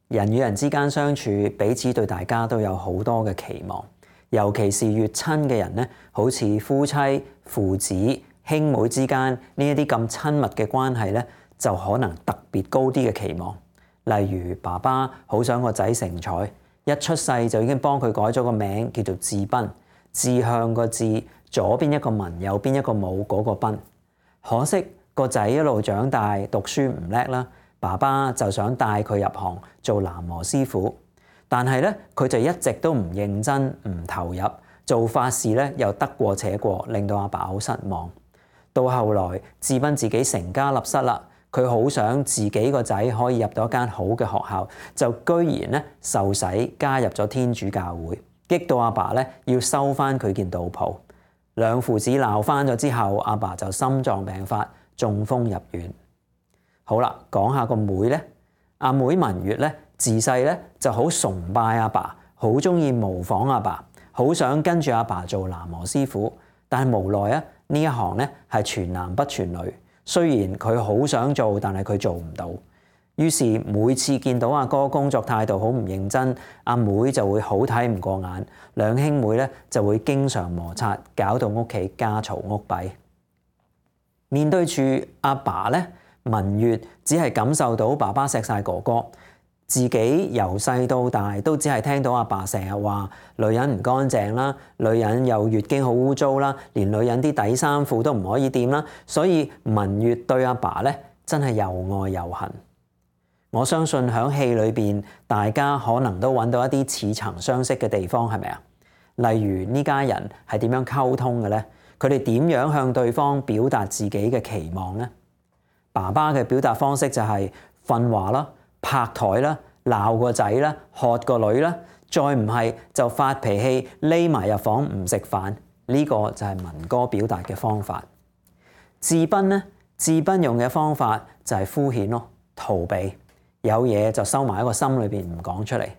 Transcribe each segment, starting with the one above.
人與人之間相處，彼此對大家都有好多嘅期望，尤其是越親嘅人咧，好似夫妻、父子、兄妹之間呢一啲咁親密嘅關係咧，就可能特別高啲嘅期望。例如爸爸好想個仔成才，一出世就已經幫佢改咗個名叫做智斌，志向個志，左邊一個文，右邊一個武嗰個斌。可惜個仔一路長大，讀書唔叻啦，爸爸就想帶佢入行做喃嘸師傅，但係咧佢就一直都唔認真、唔投入，做法事咧又得過且過，令到阿爸好失望。到後來智斌自己成家立室啦，佢好想自己個仔可以入到一間好嘅學校，就居然咧受洗加入咗天主教會，激到阿爸咧要收翻佢件道袍。兩父子鬧翻咗之後，阿爸就心臟病發，中風入院。好啦，講下個妹咧，阿妹文月咧，自細咧就好崇拜阿爸，好中意模仿阿爸，好想跟住阿爸做喃嘸師傅。但係無奈啊，呢一行咧係全男不全女，雖然佢好想做，但係佢做唔到。於是每次見到阿哥工作態度好唔認真，阿妹就會好睇唔過眼，兩兄妹咧就會經常摩擦，搞到屋企家嘈屋閉。面對住阿爸咧，文月只係感受到爸爸錫晒哥哥，自己由細到大都只係聽到阿爸成日話女人唔乾淨啦，女人有月經好污糟啦，連女人啲底衫褲都唔可以掂啦，所以文月對阿爸咧真係又愛又恨。我相信喺戲裏邊，大家可能都揾到一啲似曾相識嘅地方，係咪啊？例如呢家人係點樣溝通嘅咧？佢哋點樣向對方表達自己嘅期望咧？爸爸嘅表達方式就係訓話啦、拍台啦、鬧個仔啦、喝個女啦，再唔係就發脾氣匿埋入房唔食飯。呢個就係文哥表達嘅方法。智斌咧，智斌用嘅方法就係敷衍咯，逃避。有嘢就收埋喺個心裏邊唔講出嚟。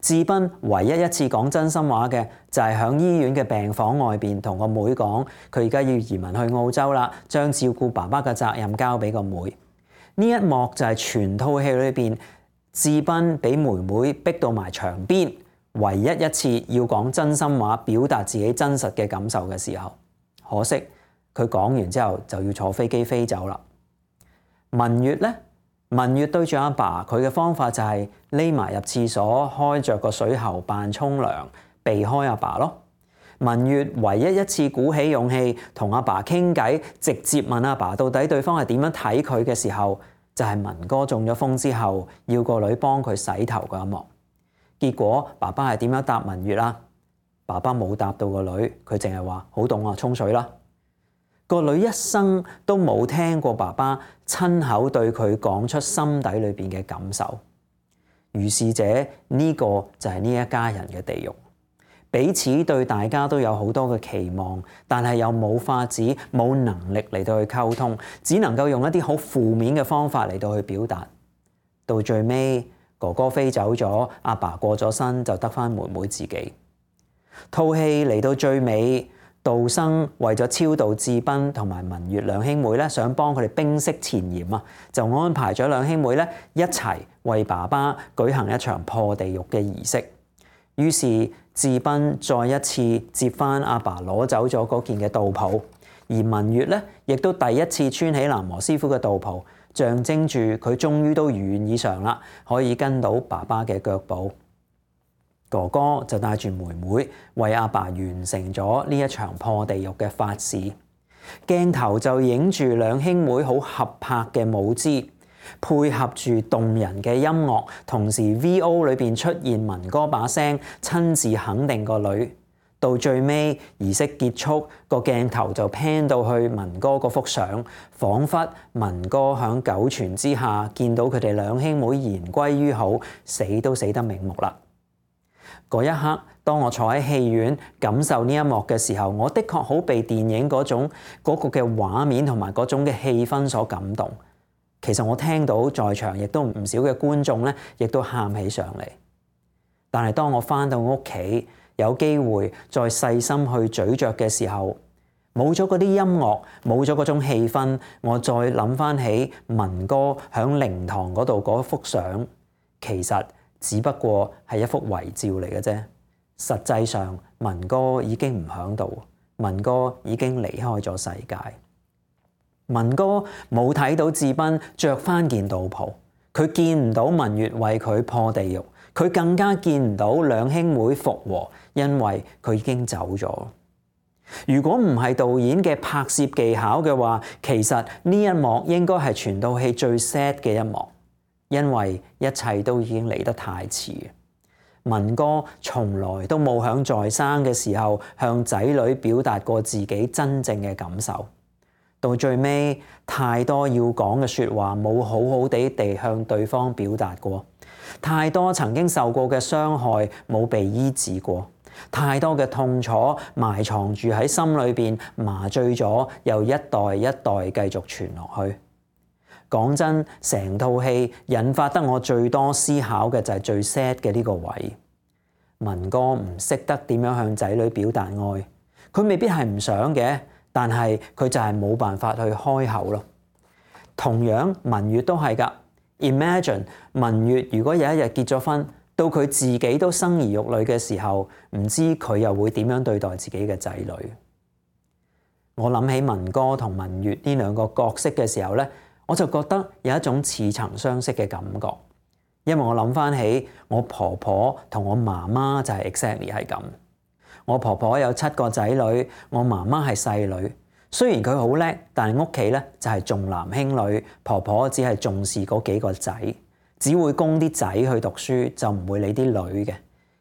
智斌唯一一次講真心話嘅就係喺醫院嘅病房外邊同個妹講，佢而家要移民去澳洲啦，將照顧爸爸嘅責任交俾個妹。呢一幕就係全套戲裏邊智斌俾妹妹逼到埋牆邊，唯一一次要講真心話，表達自己真實嘅感受嘅時候。可惜佢講完之後就要坐飛機飛走啦。文月咧。文月對住阿爸，佢嘅方法就係匿埋入廁所，開着個水喉扮沖涼，避開阿爸咯。文月唯一一次鼓起勇氣同阿爸傾偈，直接問阿爸到底對方係點樣睇佢嘅時候，就係文哥中咗風之後，要個女幫佢洗頭嗰一幕。結果爸爸係點樣答文月啊？爸爸冇答到個女，佢淨係話好凍啊，沖水啦。個女一生都冇聽過爸爸親口對佢講出心底裏邊嘅感受。如是者，呢個就係呢一家人嘅地獄，彼此對大家都有好多嘅期望，但係又冇法子、冇能力嚟到去溝通，只能夠用一啲好負面嘅方法嚟到去表達。到最尾，哥哥飛走咗，阿爸過咗身，就得返妹妹自己。套戲嚟到最尾，道生為咗超度智斌同埋文月兩兄妹咧，想幫佢哋冰釋前嫌啊，就安排咗兩兄妹咧一齊為爸爸舉行一場破地獄嘅儀式。於是智斌再一次接翻阿爸攞走咗嗰件嘅道袍，而文月咧亦都第一次穿起喃嘸師傅嘅道袍，象徵住佢終於都如願以償啦，可以跟到爸爸嘅腳步。哥哥就帶住妹妹為阿爸完成咗呢一場破地獄嘅法事，鏡頭就影住兩兄妹好合拍嘅舞姿，配合住動人嘅音樂，同時 VO 裏邊出現文哥把聲親自肯定個女。到最尾儀式結束，個鏡頭就 pan 到去文哥嗰幅相，彷彿文哥響九泉之下見到佢哋兩兄妹言歸於好，死都死得瞑目啦。嗰一刻，當我坐喺戲院感受呢一幕嘅時候，我的確好被電影嗰個嘅畫面同埋嗰種嘅氣氛所感動。其實我聽到在場亦都唔少嘅觀眾咧，亦都喊起上嚟。但係當我返到屋企，有機會再細心去咀嚼嘅時候，冇咗嗰啲音樂，冇咗嗰種氣氛，我再諗返起文哥響靈堂嗰度嗰幅相，其實只不過係一幅遺照嚟嘅啫。實際上，文哥已經唔喺度，文哥已經離開咗世界。文哥冇睇到智斌着返件道袍，佢見唔到文月為佢破地獄，佢更加見唔到兩兄妹復和，因為佢已經走咗。如果唔係導演嘅拍攝技巧嘅話，其實呢一幕應該係全套戲最 sad 嘅一幕，因為一切都已經嚟得太遲。文哥從來都冇響在生嘅時候向仔女表達過自己真正嘅感受，到最尾太多要講嘅說話冇好好地向對方表達過，太多曾經受過嘅傷害冇被醫治過，太多嘅痛楚埋藏住喺心裏邊，麻醉咗又一代一代繼續傳落去。講真，成套戲引發得我最多思考嘅就係最 sad 嘅呢個位。文哥唔識得點樣向仔女表達愛，佢未必係唔想嘅，但係佢就係冇辦法去開口咯。同樣文月都係㗎。Imagine 文月如果有一日結咗婚，到佢自己都生兒育女嘅時候，唔知佢又會點樣對待自己嘅仔女。我諗起文哥同文月呢兩個角色嘅時候咧，我就覺得有一種似曾相識嘅感覺，因為我諗翻起我婆婆同我媽媽就係 exactly 係咁。我婆婆有7個仔女，我媽媽係細女。雖然佢好叻，但係屋企咧就係重男輕女，婆婆只係重視嗰幾個仔，只會供啲仔去讀書，就唔會理啲女嘅。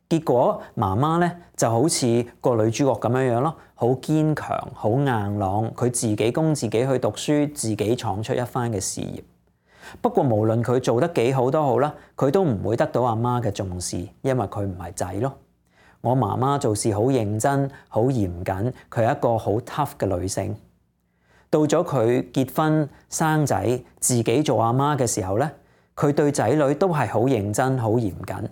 結果媽媽咧就好似個女主角咁樣樣咯，好堅強，好硬朗，佢自己供自己去讀書，自己闖出一番嘅事業。不過無論佢做得幾好都好啦，佢都唔會得到阿媽嘅重視，因為佢唔係仔咯。我媽媽做事好認真，好嚴謹，佢係一個好 tough 嘅女性。到咗佢結婚生仔，自己做阿媽嘅時候咧，佢對仔女都係好認真、好嚴謹。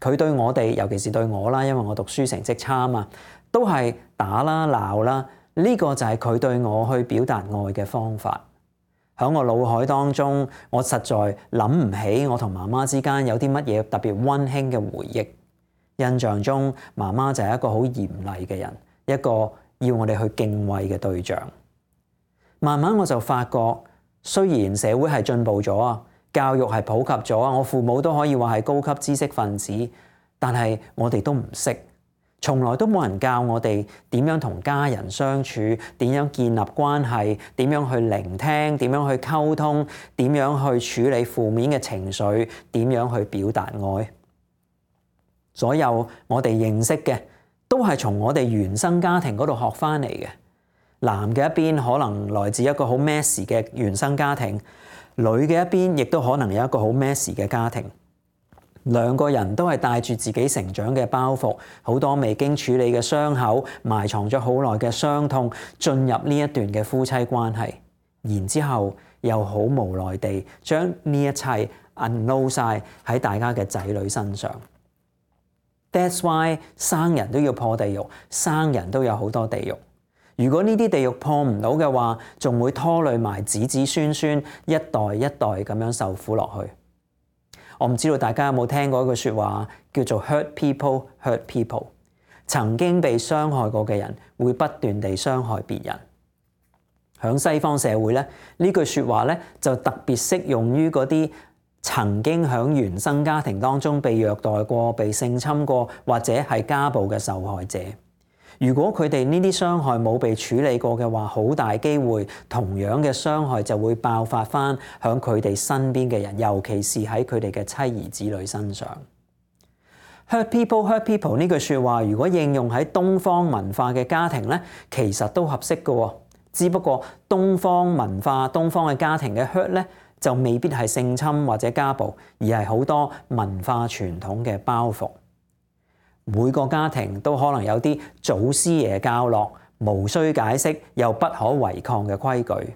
佢對我哋，尤其是對我啦，因為我讀書成績差啊嘛，都係打啦、鬧啦。呢個就係佢對我去表達愛嘅方法。喺我腦海當中，我實在諗唔起我同媽媽之間有啲乜嘢特別溫馨嘅回憶。印象中，媽媽就係一個好嚴厲嘅人，一個要我哋去敬畏嘅對象。慢慢我就發覺，雖然社會係進步咗啊，教育係普及咗啊，我父母都可以話係高級知識分子，但係我哋都唔識，從來都冇人教我哋點樣同家人相處，點樣建立關係，點樣去聆聽，點樣去溝通，點樣去處理負面嘅情緒，點樣去表達愛。所有我哋認識嘅都係從我哋原生家庭嗰度學翻嚟嘅。男嘅一邊可能來自一個好 messy 嘅原生家庭，女嘅一邊亦都可能有一個好 messy 嘅家庭。兩個人都係帶住自己成長嘅包袱，好多未經處理嘅傷口，埋藏咗好耐嘅傷痛，進入呢一段嘅夫妻關係，然之後又好無奈地將呢一切 unload 晒喺大家嘅仔女身上。That's why 生人都要破地獄，生人都有好多地獄。如果呢啲地獄破唔到嘅話，仲會拖累埋子子孫孫，一代一代咁樣受苦落去。我唔知道大家有冇聽過一句說話，叫做 hurt people hurt people。曾經被傷害過嘅人會不斷地傷害別人。響西方社會咧，呢句說話咧就特別適用於嗰啲曾經響原生家庭當中被虐待過、被性侵過或者係家暴嘅受害者。如果佢哋呢啲傷害冇被處理過嘅話，好大機會同樣嘅傷害就會爆發翻響佢哋身邊嘅人，尤其是喺佢哋嘅妻兒子女身上。Hurt people hurt people 呢句說話，如果應用喺東方文化嘅家庭咧，其實都合適嘅。只不過東方文化、東方嘅家庭嘅 hurt 咧，就未必係性侵或者家暴，而係好多文化傳統嘅包袱。每個家庭都可能有啲祖師爺教落，無需解釋又不可違抗嘅規矩。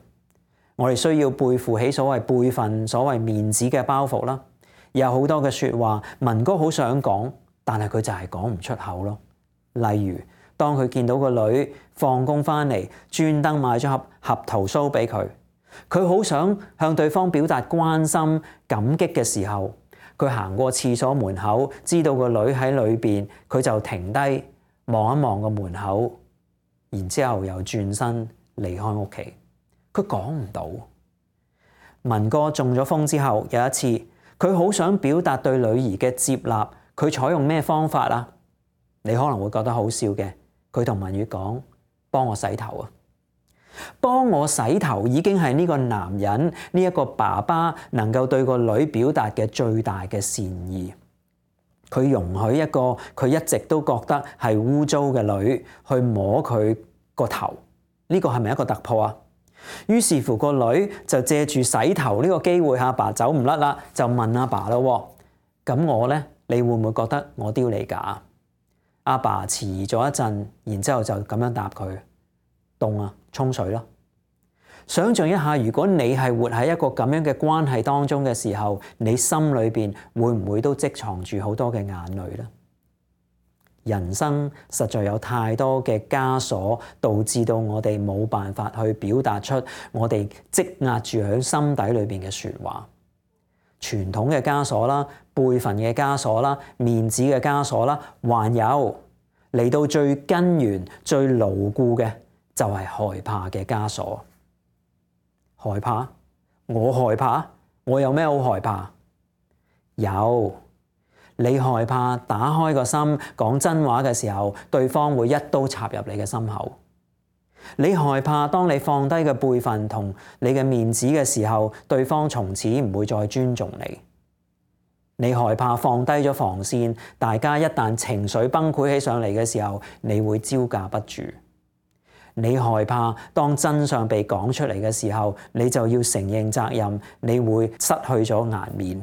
我哋需要背負起所謂輩分、所謂面子嘅包袱啦。有好多嘅說話，文哥好想講，但係佢就係講唔出口咯。例如，當佢見到個女放工翻嚟，專登買咗盒合桃酥俾佢，佢好想向對方表達關心、感激嘅時候，佢行過廁所門口，知道個女喺裏邊，佢就停低望一望個門口，然之後又轉身離開屋企。佢講唔到。文哥中咗風之後，有一次佢好想表達對女兒嘅接納，佢採用咩方法啊？你可能會覺得好笑嘅。佢同文月講：幫我洗頭啊！幫我洗頭已經係呢個男人，呢一個爸爸能夠對個女表達嘅最大嘅善意。佢容許一個佢一直都覺得係污糟嘅女去摸佢個頭，呢個係咪一個突破啊？於是乎個女就借住洗頭呢個機會，阿爸走唔甩啦，就問阿爸咯：咁我呢？你會唔會覺得我丟你架？阿爸遲疑咗一陣，然之後就咁樣答佢：凍啊，沖水咯。想象一下，如果你係活喺一個咁樣嘅關係當中嘅時候，你心裏邊會唔會都積藏住好多嘅眼淚呢？人生實在有太多嘅枷鎖，導致到我哋冇辦法去表達出我哋積壓住喺心底裏邊嘅說話。傳統嘅枷鎖啦，輩份嘅枷鎖啦，面子嘅枷鎖啦，還有嚟到最根源、最牢固嘅就係害怕嘅枷鎖。害怕？我害怕？我有咩好害怕？有。你害怕打開個心講真話嘅時候，對方會一刀插入你嘅心口。你害怕當你放低嘅輩份同你嘅面子嘅時候，對方從此唔會再尊重你。你害怕放低咗防線，大家一旦情緒崩潰起上嚟嘅時候，你會招架不住。你害怕當真相被講出嚟嘅時候，你就要承認責任，你會失去咗顏面。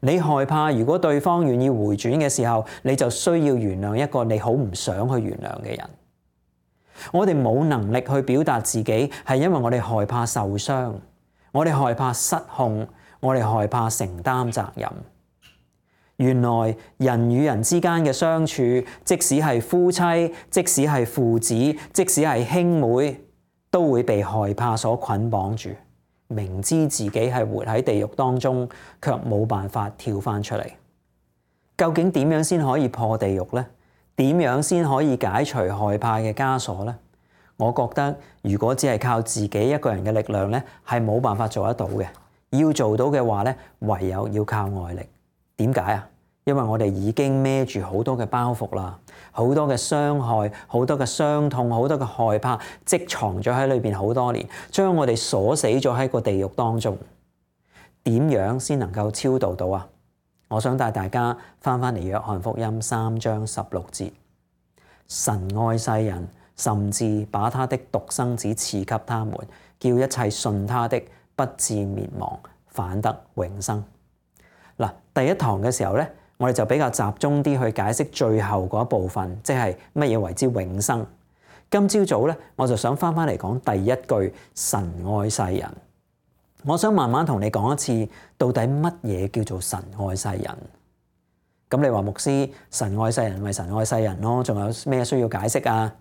你害怕如果對方願意回轉嘅時候，你就需要原諒一個你好唔想去原諒嘅人。我哋冇能力去表達自己，係因為我哋害怕受傷，我哋害怕失控，我哋害怕承擔責任。原來人與人之間嘅相處，即使係夫妻，即使係父子，即使係兄妹，都會被害怕所捆綁住。明知自己係活喺地獄當中，卻冇辦法跳翻出嚟。究竟點樣先可以破地獄呢？點樣先可以解除害怕嘅枷鎖呢？我覺得如果只係靠自己一個人嘅力量呢，係冇辦法做得到嘅。要做到嘅話呢，唯有要靠外力。點解啊？因為我哋已經孭住好多嘅包袱啦，好多嘅傷害，好多嘅傷痛，好多嘅害怕，積藏咗喺裏邊好多年，將我哋鎖死咗喺個地獄當中。點樣先能夠超度到啊？我想帶大家翻嚟約翰福音3章16節，神愛世人，甚至把他的獨生子賜給他們，叫一切信他的不至滅亡，反得永生。嗱，第一堂嘅時候咧，我哋就比較集中啲去解釋最後嗰一部分，即係乜嘢為之永生。今朝早咧，我就想翻嚟講第一句神愛世人。我想慢慢同你講一次，到底乜嘢叫做神愛世人？咁你話牧師，神愛世人咪神愛世人咯，仲有咩需要解釋啊？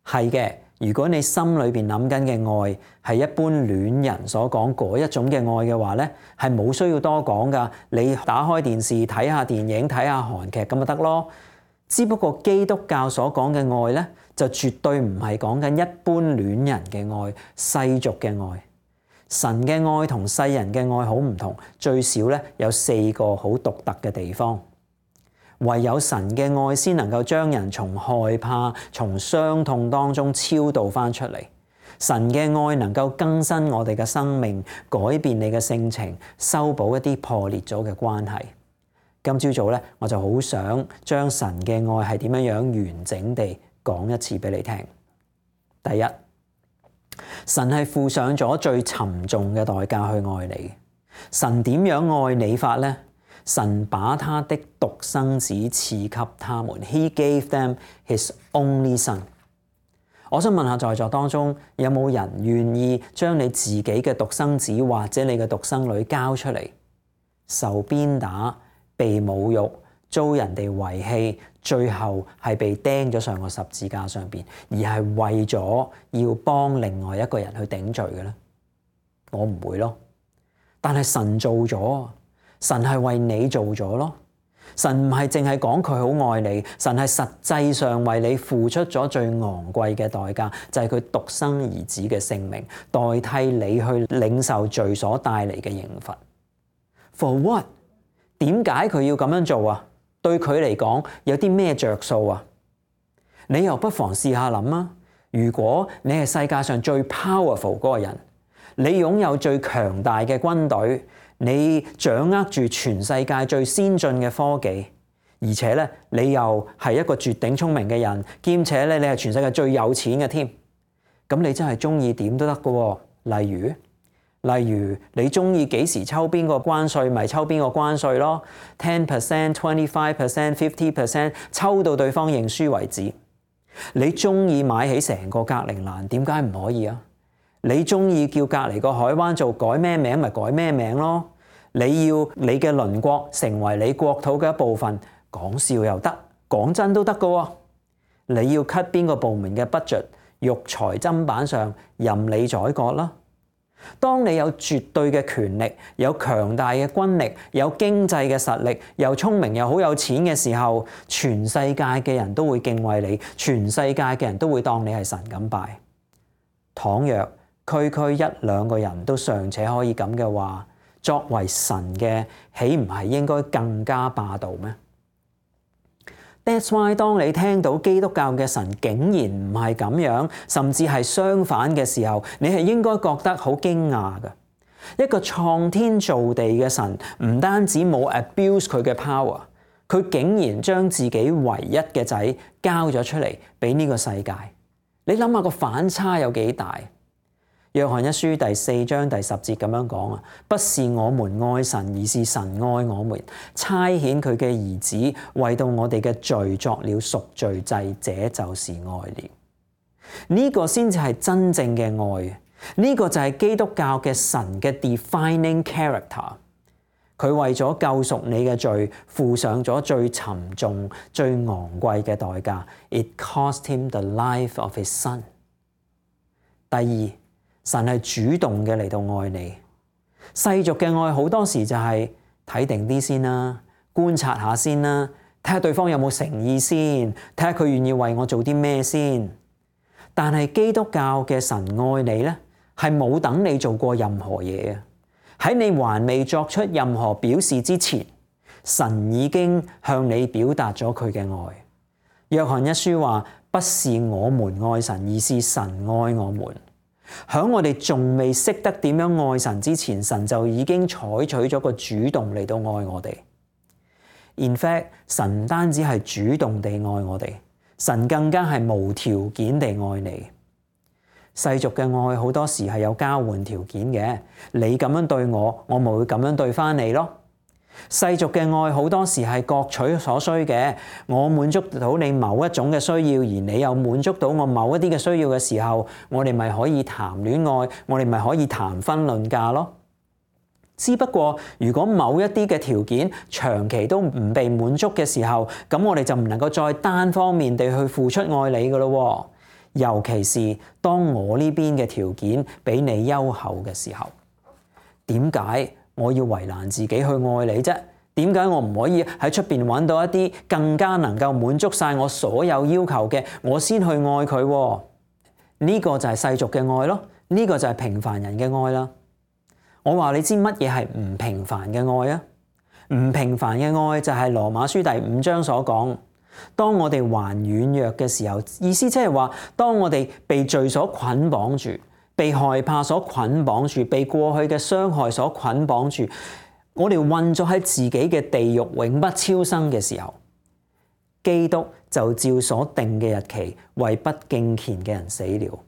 係嘅，如果你心裏邊諗緊嘅愛係一般戀人所講嗰一種嘅愛嘅話咧，係冇需要多講噶。你打開電視睇下電影睇下韓劇咁就得咯。只不過基督教所講嘅愛咧，就絕對唔係講緊一般戀人嘅愛、世俗嘅愛。神嘅愛同世人嘅愛好唔同，最少咧有4個好獨特嘅地方。唯有神嘅愛先能夠將人從害怕、從傷痛當中超度翻出嚟。神嘅愛能夠更新我哋嘅生命，改變你嘅性情，修補一啲破裂咗嘅關係。今朝早咧，我就好想將神嘅愛係點樣完整地講一次俾你聽。第一，神係付上咗最沉重嘅代價去愛你。神點樣愛你法呢？神把他的獨生子賜給他們 ，He gave them His only son。我想問下在座當中有冇人願意將你自己嘅獨生子或者你嘅獨生女交出嚟，受鞭打、被侮辱、遭人哋遺棄，最後係被釘咗上個十字架上邊，而係為咗要幫另外一個人去頂罪嘅咧？我唔會咯。但係神做咗。神係為你做咗咯。神唔係淨係講佢好愛你，神係實際上為你付出咗最昂貴嘅代價，就係佢獨生兒子嘅性命，代替你去領受罪所帶嚟嘅刑罰。For what？ 點解佢要咁樣做啊？對佢嚟講有啲咩着數啊？你又不妨試下諗啊！如果你係世界上最 powerful 嗰個人，你擁有最強大嘅軍隊，你掌握住全世界最先進嘅科技，而且咧你又係一個絕頂聰明嘅人，兼且咧你係全世界最有錢嘅添，咁你真係中意點都得㗎喎。例如你中意幾時抽邊個關稅，咪抽邊個關稅咯， 10%、25%、50%， 抽到對方認輸為止。你中意買起成個格陵蘭，點解唔可以啊？你中意叫隔離個海灣做改咩名咪改咩名咯？你要你嘅鄰國成為你國土嘅一部分，講笑又得，講真都得㗎喎。你要 cut 邊個部門嘅 budget， 肉裁砧板上任你宰割啦。當你有絕對嘅權力，有強大嘅軍力，有經濟嘅實力，又聰明又好有錢嘅時候，全世界嘅人都會敬畏你，全世界嘅人都會當你係神咁拜。倘若區區一兩個人都尚且可以咁嘅話，作為神嘅，豈唔係應該更加霸道咩？ That's why 當你聽到基督教嘅神竟然唔係咁樣，甚至係相反嘅時候，你係應該覺得好驚訝嘅。一個創天造地嘅神，唔單止冇 abuse 佢嘅 power， 佢竟然將自己唯一嘅仔交咗出嚟俾呢個世界。你諗下個反差有幾大？約翰一書第4章第10節咁樣講啊，不是我們愛神，而是神愛我們，差遣佢嘅兒子為到我哋嘅罪作了贖罪祭，這就是愛了。呢個先至係真正嘅愛，呢個就係基督教嘅神嘅 defining character。佢為咗救贖你嘅罪，付上咗最沉重、最昂貴嘅代價。It cost him the life of his son。第二，神係主動嘅嚟到愛你。世俗嘅愛好多時就係睇定啲先啦，觀察下先啦，睇下對方有冇誠意先，睇下佢願意為我做啲咩先。但係基督教嘅神愛你咧，係冇等你做過任何嘢嘅。喺你還未作出任何表示之前，神已經向你表達咗佢嘅愛。約翰一書話，不是我們愛神，而是神愛我們。喺我哋仲未識得點樣愛神之前，神就已經採取咗個主動嚟到愛我哋。In fact， 神唔單止係主動地愛我哋，神更加係無條件地愛你。世俗嘅愛好多時係有交換條件嘅，你咁樣對我，我咪會咁樣對翻你咯。世俗嘅愛好多時係各取所需嘅，我滿足到你某一種嘅需要，而你又滿足到我某一啲嘅需要嘅時候，我哋咪可以談戀愛，我哋咪可以談婚論嫁咯。只不過如果某一啲嘅條件長期都唔被滿足嘅時候，咁我哋就唔能夠再單方面地去付出愛你㗎咯。尤其是當我呢邊嘅條件比你優厚嘅時候，點解我要為難自己去愛你啫？點解我唔可以喺出邊揾到一啲更加能夠滿足晒我所有要求嘅，我先去愛佢？呢個就係世俗嘅愛咯，呢個就係平凡人嘅愛啦。我話你知乜嘢係唔平凡嘅愛啊？唔平凡嘅愛就係羅馬書第5章所講，當我哋還軟弱嘅時候，意思即係話，當我哋被罪所捆綁住，被害怕所捆綁住，被過去嘅傷害所捆綁住，我哋困咗喺自己嘅地獄永不超生嘅時候，基督就照所定嘅日期為不敬虔嘅人死了。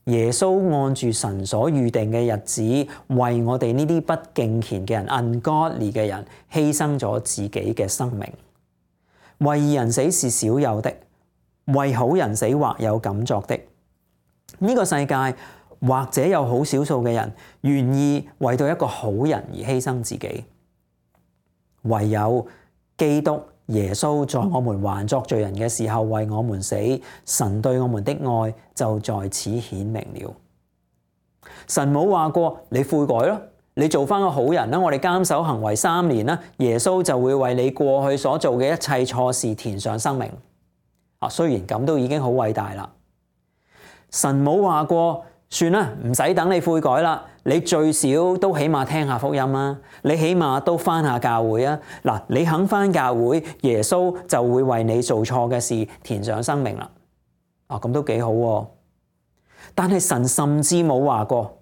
耶穌按住神所預定嘅日子，為我哋呢啲不敬虔嘅人 ungodly 嘅人犧牲咗自己嘅生命。為義人死是少有的，為好人死或有敢作的。呢個世界或者有好少數嘅人願意為到一個好人而犧牲自己，唯有基督耶穌在我們還作罪人嘅時候為我們死，神對我們的愛就在此顯明了。神冇話過你悔改咯，你做翻個好人啦，我哋監守行為3年啦，耶穌就會為你過去所做嘅一切錯事填上生命。雖然咁都已經好偉大啦。神冇話過，算啦，唔使等你悔改啦，你最少都起碼聽下福音啦，你起碼都翻下教會啊。嗱，你肯翻教會，耶穌就會為你做錯嘅事填上生命啦。咁都幾好喎。但係神甚至冇話過，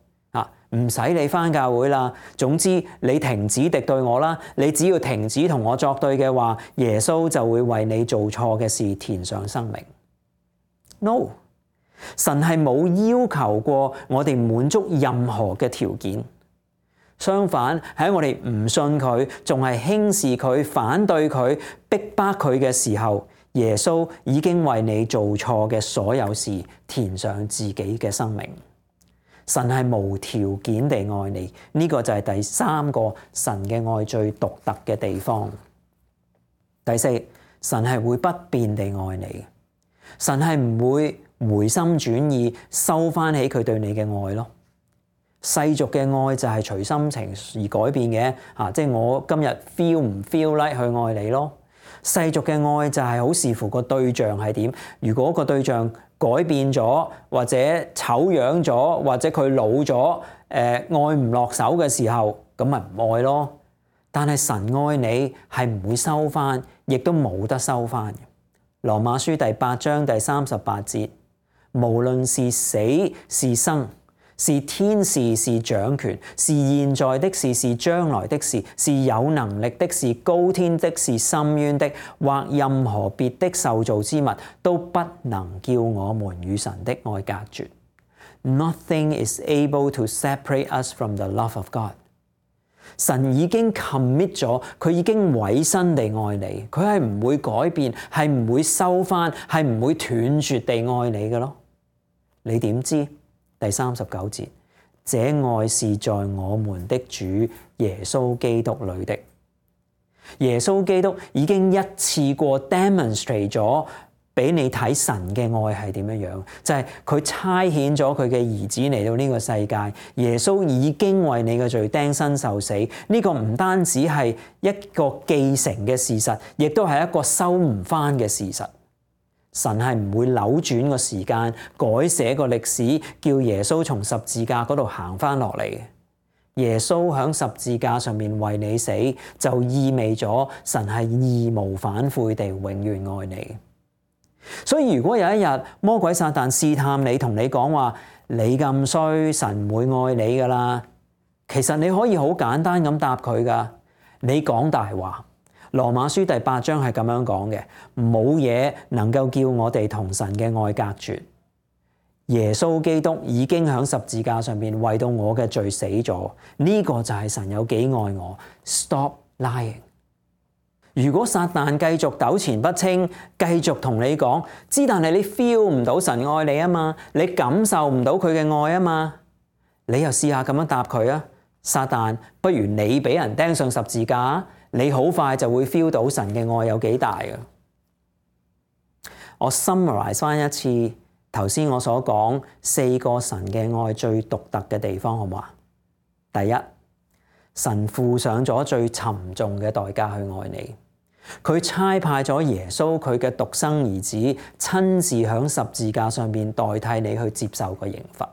唔使你翻教會啦，總之你停止敵對我啦，你只要停止同我作對嘅話，耶穌就會為你做錯嘅事填上生命。No， 神係冇要求過我哋滿足任何嘅條件，相反喺我哋唔信佢，仲係輕視佢、反對佢、逼迫佢嘅時候，耶穌已經為你做錯嘅所有事填上自己嘅生命。神係無條件地愛你，呢個就係第3個神嘅愛最獨特嘅地方。第4，神係會不變地愛你，神係唔會回心轉意收翻起佢對你嘅愛咯。世俗嘅愛就係隨心情而改變嘅，即係我今日 feel 唔 feel like 去愛你咯。世俗嘅愛就係好視乎個對象係點，如果個對象改變咗，或者醜樣咗，或者佢老咗，愛唔落手嘅時候，咁咪唔愛咯。但係神愛你係唔會收翻，亦都冇得收翻嘅。羅馬書第8章第38節，無論是死是生，是天使是掌權，是現在的事是將來的事，是有能力的是高天的是深淵的，或任何別的受造之物，都不能叫我們與神的愛隔絕。Nothing is able to separate us from the love of God。神已經 commit 咗，佢已經委身地愛你，佢係唔會改變，係唔會收翻，係唔會斷絕地愛你嘅咯。你點知？第39節，這愛是在我們的主耶穌基督裏的。耶穌基督已經一次過 demonstrate 咗俾你睇神嘅愛係點樣樣，就係佢差遣咗佢嘅兒子嚟到呢個世界，耶穌已經為你嘅罪釘身受死。呢個唔單止係一個既成嘅事實，亦都係一個收唔翻嘅事實。神係唔會扭轉個時間，改寫個歷史，叫耶穌從十字架嗰度行翻落嚟。耶穌喺十字架上面為你死，就意味咗神係義無反悔地永遠愛你。所以如果有一日魔鬼撒旦試探你，同你講話你咁衰，神唔會愛你噶啦，其實你可以好簡單咁答佢噶，你講大話。羅馬書第8章係咁樣講嘅，冇嘢能夠叫我哋同神嘅愛隔絕。耶穌基督已經喺十字架上面為到我嘅罪死咗，呢個就係神有幾愛我。Stop lying。如果撒旦繼續糾纏不清，繼續同你講，但係你 feel 唔到神愛你啊嘛，你感受唔到佢嘅愛啊嘛，你又試下咁樣答佢啊。撒旦，不如你俾人釘上十字架，你好快就會 feel 到神嘅愛有幾大嘅。我 summarize 翻一次頭先我所講4個神嘅愛最獨特嘅地方，好唔好啊？第一，神付上咗最沉重嘅代價去愛你，佢差派咗耶穌佢嘅獨生兒子親自響十字架上面代替你去接受個刑罰。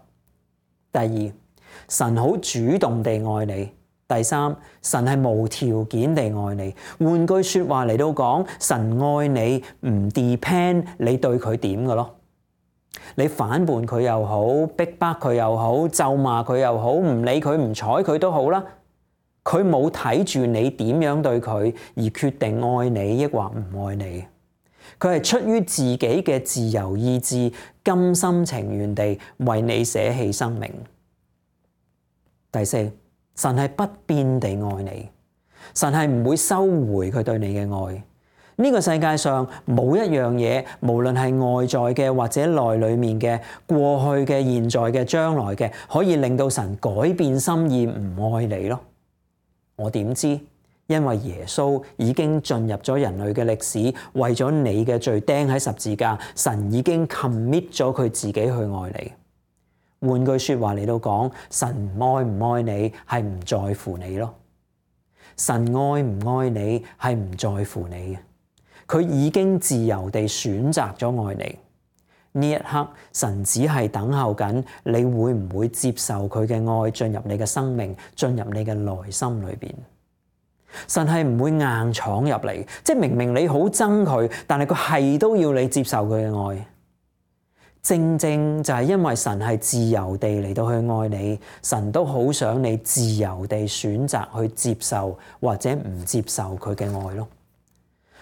第二，神好主動地愛你。第三，神係無條件地愛你。換句說話嚟到講，神愛你唔 depend 你對佢點嘅咯。你反叛佢又好，逼迫佢又好，咒罵佢又好，唔理佢唔睬佢都好啦。佢冇睇住你點樣對佢而決定愛你抑或唔愛你。佢係出於自己嘅自由意志，甘心情願地為你捨棄生命。第四，神係不變地愛你，神係唔會收回佢對你嘅愛。呢個世界上冇一樣嘢，無論係外在嘅或者內裏面嘅，過去嘅、現在嘅、將來嘅，可以令到神改變心意唔愛你咯。我點知？因為耶穌已經進入咗人類嘅歷史，為咗你嘅罪釘喺十字架，神已經 commit 咗佢自己去愛你。換句說話嚟到講，神愛唔愛你係唔在乎你咯。神愛唔愛你係唔在乎你嘅，佢已經自由地選擇咗愛你。呢一刻，神只係等候緊你會唔會接受佢嘅愛進入你嘅生命，進入你嘅內心裏邊。神係唔會硬闖入嚟，即係明明你好憎佢，但係佢係都要你接受佢嘅愛。正正就係因為神係自由地嚟到去愛你，神都好想你自由地選擇去接受或者唔接受佢嘅愛咯。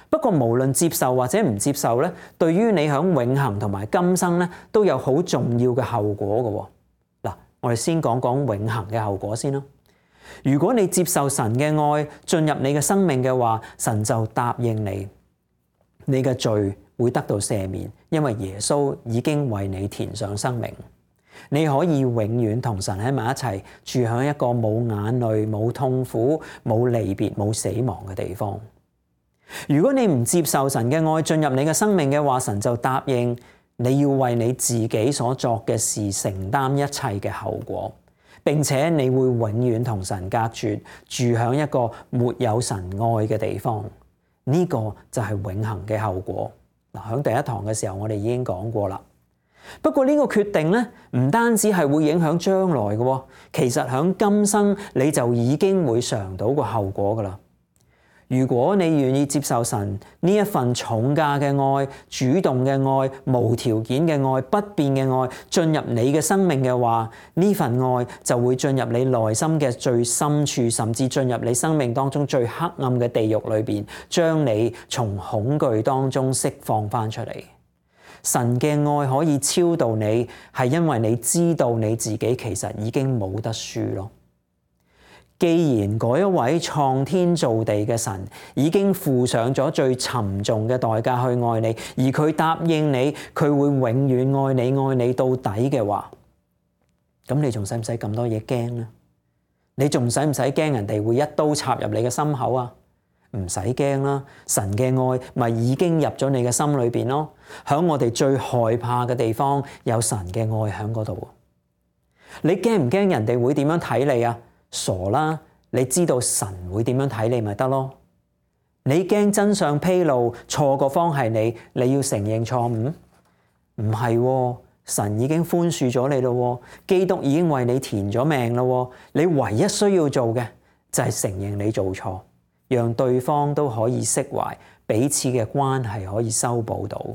不過無論接受或者唔接受咧，對於你響永恆同埋今生咧，都有好重要嘅後果嘅。嗱，我哋先講講永恆嘅後果先啦。如果你接受神嘅愛進入你嘅生命嘅話，神就答應你，你嘅罪會得到赦免，因為耶穌已經為你填上生命，你可以永遠同神喺埋一齊，住喺一個冇眼淚、冇痛苦、冇離別、冇死亡嘅地方。如果你唔接受神嘅愛進入你嘅生命嘅話，神就答應你要為你自己所作嘅事承擔一切嘅後果，並且你會永遠同神隔絕，住喺一個沒有神愛嘅地方。呢個就係永恆嘅後果。嗱，喺第一堂嘅時候我哋已經講過啦。不過呢個決定咧，唔單止係會影響將來嘅，其實喺今生你就已經會嘗到個後果噶啦。如果你願意接受神呢一份重價嘅愛、主動嘅愛、無條件嘅愛、不變嘅愛進入你嘅生命嘅話，呢份愛就會進入你內心嘅最深處，甚至進入你生命當中最黑暗嘅地獄裏邊，將你從恐懼當中釋放翻出嚟。神嘅愛可以超度你，係因為你知道你自己其實已經冇得輸咯。既然嗰一位創天造地嘅神已經付上咗最沉重嘅代價去愛你，而佢答應你佢會永遠愛你到底嘅話，咁你仲使唔使咁多嘢驚呢？你仲使唔使驚人哋會一刀插入你嘅心口啊？唔使驚啦，神嘅愛咪已經入咗你嘅心裏邊咯。響我哋最害怕嘅地方有神嘅愛喺嗰度。你驚唔驚人哋會點樣睇你啊？傻啦！你知道神會點樣睇你咪得咯？你驚真相披露，錯個方係你，你要承認錯誤？唔係，神已經寬恕咗你咯，基督已經為你填咗命咯。你唯一需要做嘅就係承認你做錯，讓對方都可以釋懷，彼此嘅關係可以修補到。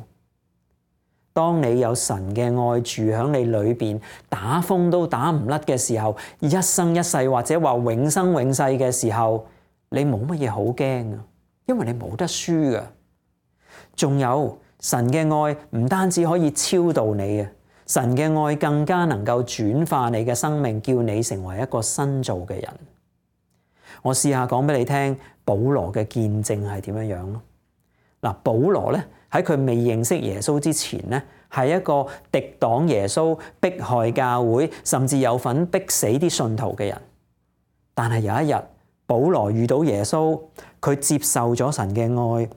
當你有神嘅愛住喺你裏邊，打風都打唔甩嘅時候，一生一世或者話永生永世嘅時候，你冇乜嘢好驚啊，因為你冇得輸噶。仲有神嘅愛唔單止可以超度你啊，神嘅愛更加能夠轉化你嘅生命，叫你成為一個新造嘅人。我試下講俾你聽，保羅嘅見證係點樣樣咯。嗱，保羅咧，喺佢未認識耶穌之前咧，係一個敵擋耶穌、迫害教會，甚至有份逼死啲信徒嘅人。但係有一日，保羅遇到耶穌，佢接受咗神嘅愛，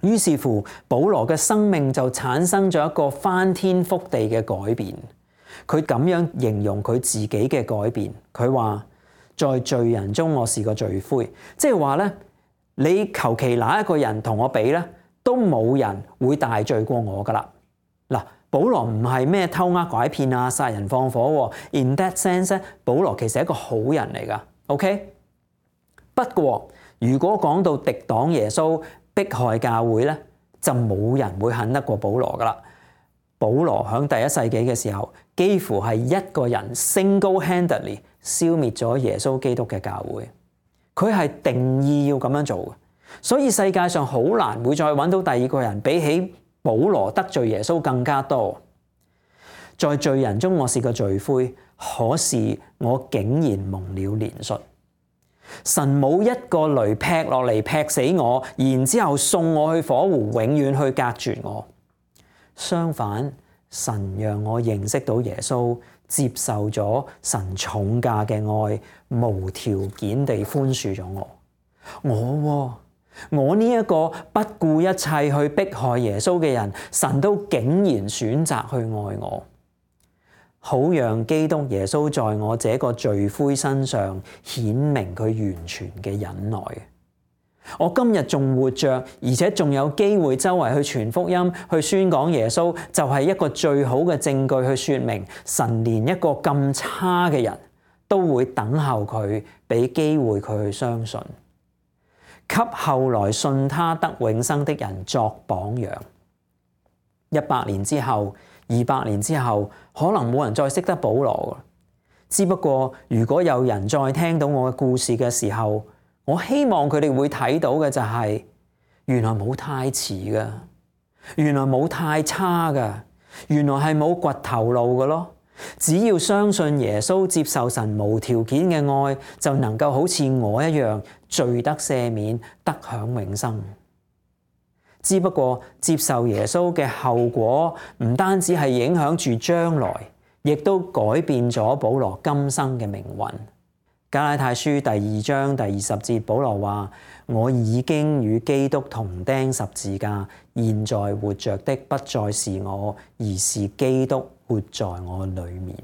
於是乎保羅嘅生命就產生咗一個翻天覆地嘅改變。佢咁樣形容佢自己嘅改變，佢話：在罪人中我是個罪魁，即係話咧，你求其哪一個人同我比咧，都冇人會大罪過我噶啦。嗱，保羅唔係咩偷呃拐騙啊、殺人放火喎。In that sense 咧，保羅其實係一個好人嚟噶。OK， 不過如果講到敵擋耶穌、迫害教會咧，就冇人會恨得過保羅噶啦。保羅喺第一世紀嘅時候，幾乎係一個人 single-handedly 消滅咗耶穌基督嘅教會。佢係定意要咁樣做嘅，所以世界上好難會再揾到第二個人比起保羅得罪耶穌更加多。在罪人中我是個罪魁，可是我竟然蒙了憐恤。神冇一個雷劈落嚟劈死我，然之後送我去火湖，永遠去隔絕我。相反，神讓我認識到耶穌，接受咗神重價嘅愛，無條件地寬恕咗我。我呢一個不顧一切去迫害耶穌嘅人，神都竟然選擇去愛我。好讓基督耶穌在我這個罪魁身上顯明佢完全嘅忍耐。我今日仲活着，而且仲有機會周圍去傳福音，去宣講耶穌，就係一個最好嘅證據去說明神連一個咁差嘅人都會等候佢，俾機會佢去相信，給後來信他得永生的人作榜樣。100年之後、200年之後，可能冇人再識得保羅。只不過如果有人再聽到我嘅故事嘅時候，我希望佢哋會睇到嘅就係，原來冇太遲噶，原來冇太差噶，原來係冇掘頭路嘅咯。只要相信耶穌，接受神無條件嘅愛，就能夠好似我一樣罪得赦免，得享永生。只不過接受耶穌嘅後果，唔單止係影響住將來，亦都改變咗保羅今生嘅命運。加拉太書第2章第20節，保羅話：我已經與基督同釘十字架，現在活着的不再是我，而是基督活在我裏面。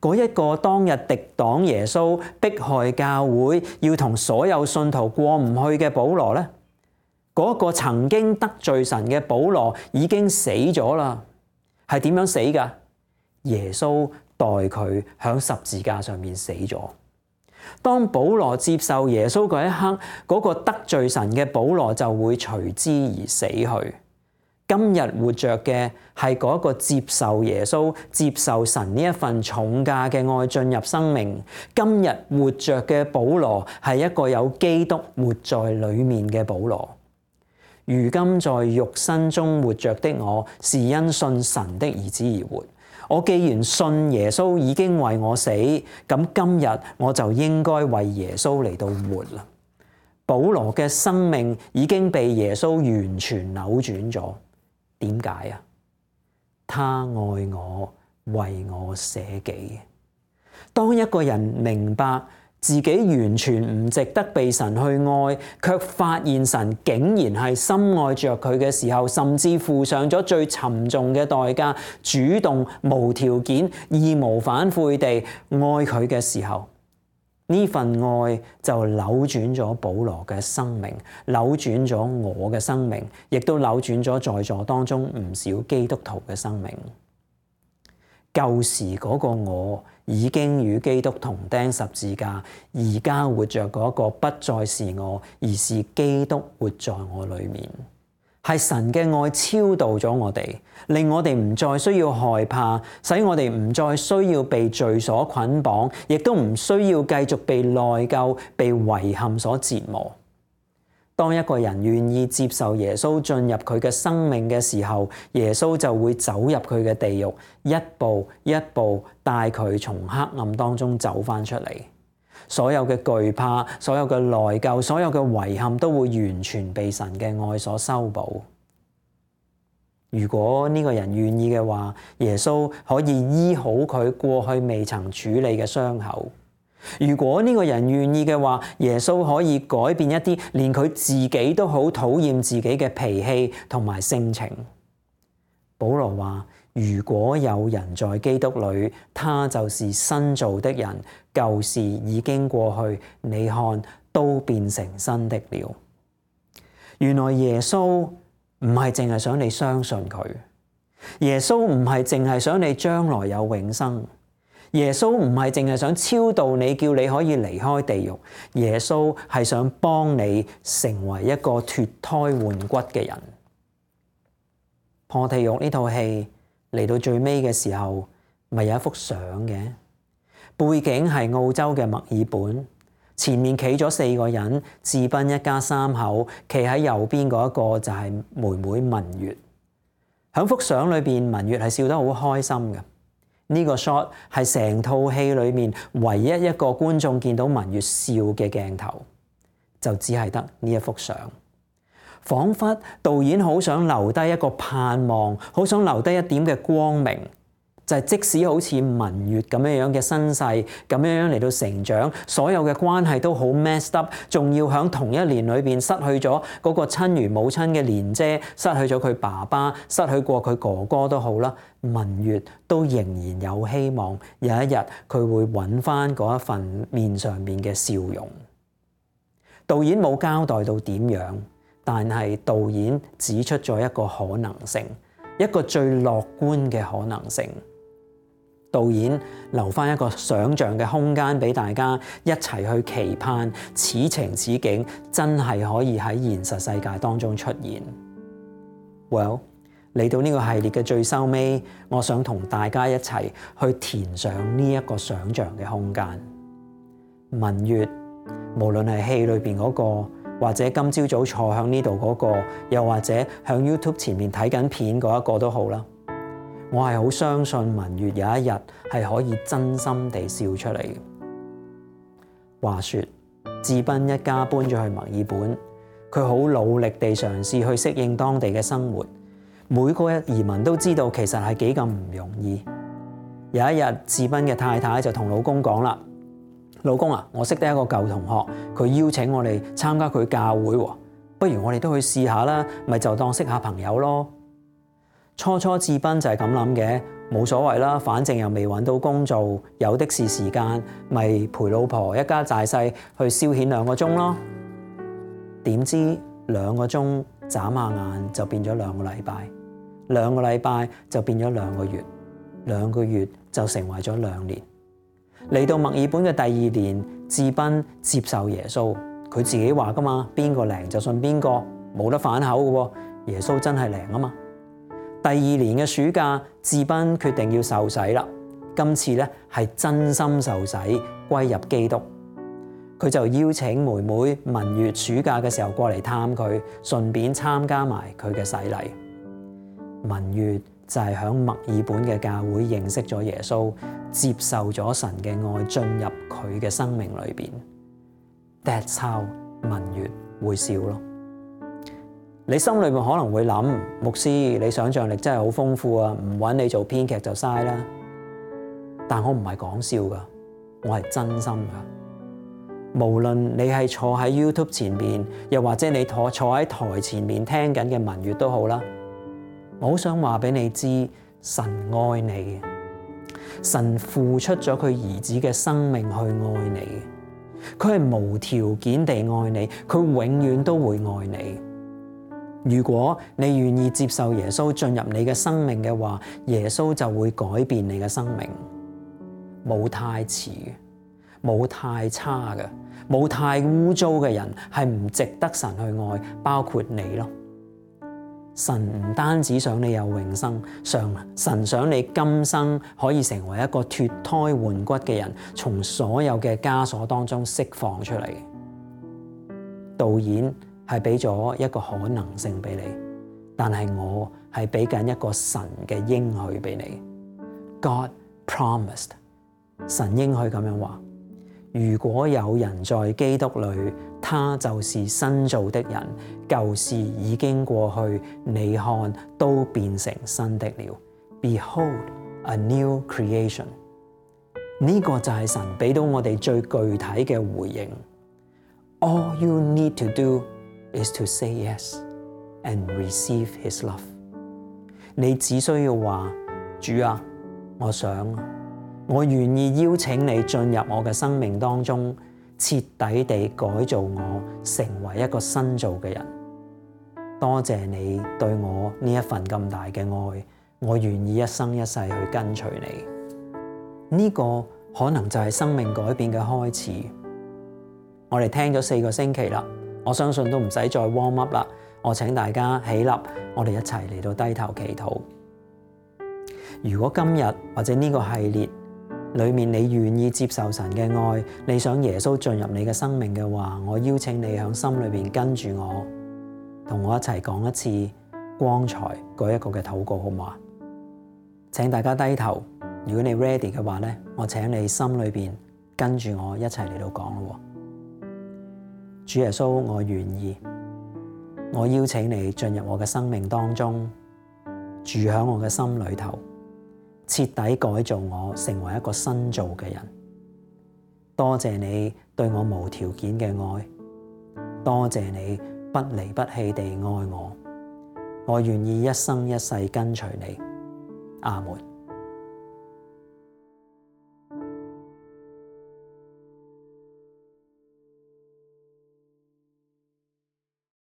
嗰一個當日敵擋耶穌、迫害教會、要同所有信徒過唔去嘅保羅呢，嗰個曾經得罪神嘅保羅已經死咗啦。係點樣死㗎？耶穌代佢響十字架上面死咗。當保羅接受耶穌嗰一刻，嗰個得罪神嘅保羅就會隨之而死去。今日活着嘅係嗰個接受耶穌、接受神呢一份重價嘅愛進入生命。今日活着嘅保羅係一個有基督活在裏面嘅保羅。如今在肉身中活着的我，是因信神的兒子而活。我既然信耶穌已經為我死，咁今日我就應該為耶穌嚟到活啦。保羅嘅生命已經被耶穌完全扭轉咗。點解啊？他愛我，為我捨己。當一個人明白自己完全唔值得被神去愛，卻發現神竟然係深愛着佢嘅時候，甚至付上咗最沉重嘅代價，主動無條件、義無反悔地愛佢嘅時候，呢份愛就扭轉咗保羅嘅生命，扭轉咗我嘅生命，亦都扭轉咗在座當中唔少基督徒嘅生命。舊時嗰個我已經與基督同釘十字架，而家活着嗰個不再是我，而是基督活在我裏面。係神嘅愛超度咗我哋，令我哋唔再需要害怕，使我哋唔再需要被罪所捆綁，亦都唔需要繼續被內疚、被遺憾所折磨。當一個人願意接受耶穌進入佢嘅生命嘅時候，耶穌就會走入佢嘅地獄，一步一步帶佢從黑暗當中走返出嚟。所有嘅懼怕、所有嘅內疚、所有嘅遺憾都會完全被神嘅愛所修補。如果呢個人願意嘅話，耶穌可以醫好佢過去未曾處理嘅傷口。如果呢個人願意嘅話，耶穌可以改變一啲連佢自己都好討厭自己嘅脾氣同埋性情。保羅話：如果有人在基督裏，他就是新造的人，舊事已經過去，你看都變成新的了。原來耶穌唔係淨係想你相信佢，耶穌唔係淨係想你將來有永生。耶穌唔係淨係想超度你，叫你可以離開地獄。耶穌係想幫你成為一個脫胎換骨嘅人。破地獄呢套戲嚟到最尾嘅時候，咪有一幅相嘅，背景係澳洲嘅墨爾本，前面企咗4個人，智賓一家3口，企喺右邊嗰一個就係妹妹文月。喺幅相裏邊，文月係笑得好開心嘅。呢個 shot 係成套戲裏面唯一一個觀眾見到文月笑嘅鏡頭，就只係得呢一幅相。彷彿導演好想留低一個盼望，好想留低一點嘅光明，就係即使好似文月咁樣嘅身世，咁樣嚟到成長，所有嘅關係都好 messed up， 仲要喺同一年裏邊失去咗嗰個親如母親嘅蓮姐，失去咗佢爸爸，失去過佢哥哥都好啦，文月都仍然有希望，有一日佢會揾翻嗰一份面上面嘅笑容。導演冇交代到點樣，但係導演指出咗一個可能性，一個最樂觀嘅可能性。導演留翻一個想像嘅空間俾大家一齊去期盼，此情此景真係可以喺現實世界當中出現。Well， 嚟到呢個系列嘅最收尾，我想同大家一齊去填上呢一個想像嘅空間。文月，無論係戲裏邊嗰個，或者今朝早坐響呢度嗰個，又或者向 YouTube 前面睇緊片嗰一個都好啦。我係好相信文月有一日係可以真心地笑出嚟。話說，智斌一家搬咗去墨爾本，佢好努力地嘗試去適應當地嘅生活。每個移民都知道其實係幾咁唔容易。有一日，智斌嘅太太就同老公講啦：老公啊，我識得一個舊同學，佢邀請我哋參加佢教會喎，不如我哋都去試下啦，咪就當識下朋友咯。初智斌就係咁諗嘅，冇所謂啦，反正又未揾到工做，有的是時間，咪陪老婆一家大細去消遣2個鐘咯。點知2個鐘眨下眼就變咗2個禮拜，2個禮拜就變咗2個月，2個月就成為咗2年。嚟到墨爾本嘅第2年，智斌接受耶穌，佢自己話噶嘛，邊個靈就信邊個，冇得反口嘅喎，耶穌真係靈啊嘛。第2年嘅暑假，智斌決定要受洗啦。今次咧係真心受洗，歸入基督。佢就邀請妹妹文月暑假嘅時候過嚟探佢，順便參加埋佢嘅洗禮。文月就係喺墨爾本嘅教會認識咗耶穌，接受咗神嘅愛進入佢嘅生命裏邊。That's how 文月會笑咯。你心裏面可能會諗，牧師你想像力真係好豐富啊，唔揾你做編劇就嘥啦。但我唔係講笑㗎，我係真心㗎。無論你係坐喺 YouTube 前面，又或者你坐喺台前面聽緊嘅文月都好啦，我好想話俾你知，神愛你，神付出咗佢兒子嘅生命去愛你，佢係無條件地愛你，佢永遠都會愛你。如果你願意接受耶穌進入你嘅生命嘅話，耶穌就會改變你嘅生命。冇太遲嘅，冇太差嘅，冇太污糟嘅人係唔值得神去愛，包括你咯。神唔單止想你有永生，神想你今生可以成為一個脫胎換骨嘅人，從所有嘅枷鎖當中釋放出嚟。導演係俾咗一個可能性俾你，但係我係俾緊一個神嘅應許俾你。God promised， 神應許咁樣話：如果有人在基督裏，他就是新造的人，舊事已經過去，你看都變成新的了。Behold a new creation。呢個就係神俾到我哋最具體嘅回應。All you need to do is to say yes and receive his love。你只需要話：主啊，我願意邀請你進入我嘅生命當中，徹底地改造我，成為一個新造嘅人。多謝你對我呢一份咁大嘅愛，我願意一生一世去跟隨你。呢個可能就係生命改變嘅開始。我哋聽咗4個星期啦，我相信都唔使再 warm up 啦。我請大家起立，我哋一齊嚟到低頭祈禱。如果今日或者呢個系列裏面你願意接受神嘅愛，你想耶穌進入你嘅生命嘅話，我邀請你喺心裏邊跟住我，同我一齊講一次光彩嗰一個嘅禱告，好唔好啊？請大家低頭。如果你 ready 嘅話咧，我請你心裏邊跟住我一齊嚟到講咯。主耶穌，我願意，我邀請你進入我嘅生命當中，住喺我嘅心裏頭，徹底改造我，成為一個新造嘅人。多謝你對我無條件嘅愛，多謝你不離不棄地愛我。我願意一生一世跟隨你。阿門。